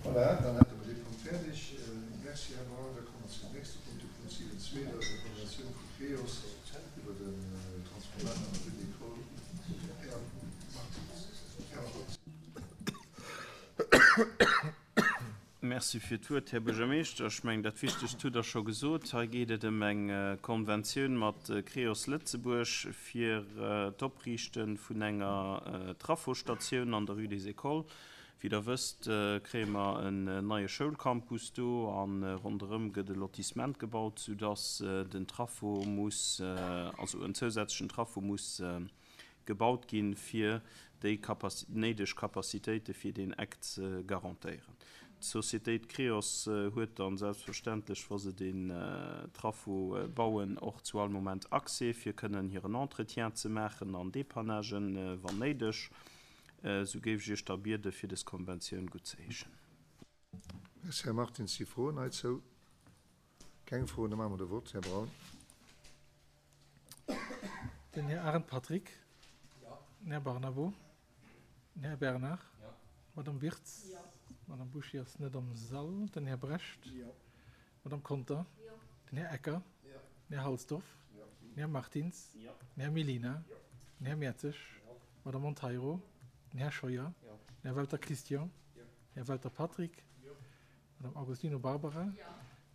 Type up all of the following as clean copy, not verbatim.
Voilà, dann hätte mer dee Punkt fäerdeg. Merci, Här Braun. Da komme mer zum nächste Punkt, de Punkt 7.2, dat ass eng Konventioun vu Creos iwwer den Transformator an der Rue d'École. Här Martins. Här Martins. Merci fir d'Wuert, Här Buergermeeschter. Ech mengen, dat Wichtegst hutt Der scho gesot. Hei geet et ëm eng Konventioun mat Creos Lëtzebuerg fir d'Opriichte vun enger Trafosstatioun an der Rue des Écoles. Wéi Der wësst, kréie mer en neie Schoulcampus do a ronderëm gëtt e Lotissement gebaut, soudass den Trafo muss, also en zousätzlechen Trafo muss gebaut ginn, fir déi néideg Capacitéite fir deen Eck ze garantéieren. D'Societéit Creos huet dann selbstverständlech, wa se deen Trafo bauen, och zu all Moment Accès, fir kënnen hiren Entretien ze maachen an Dépannagen, wann néideg. Esou géif ech Iech da biede fir des Konventioun guttzeheeschen. Merci, Här Martins. Si Froen heizou? Keng Froen, da maache mer de Vott. Här Braun. Den Här Arendt Patrick. Den Här Barnabo. Den Här Bernard. D'Madame Wirtz. D'Madame Bouché ass net am Sall. Den Här Brecht. D'Madame Conter. Den Här Ecker. Den Här Halsdorf. Den Här Martins. Den Här Mellina. Den Här Mertzig. D'Madame Monteiro. Den Här Scheuer. Den Här Welter Christian. Den Här Welter Patrick. D'Madame Agostino Barbara.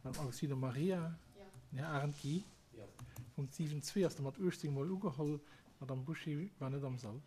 D'Madame Agostino Maria. Den Här Arendt Guy. Punkt 7, 2 ass da mat 18 Mol ugeholl. D'Madame Bouché war net am Sall.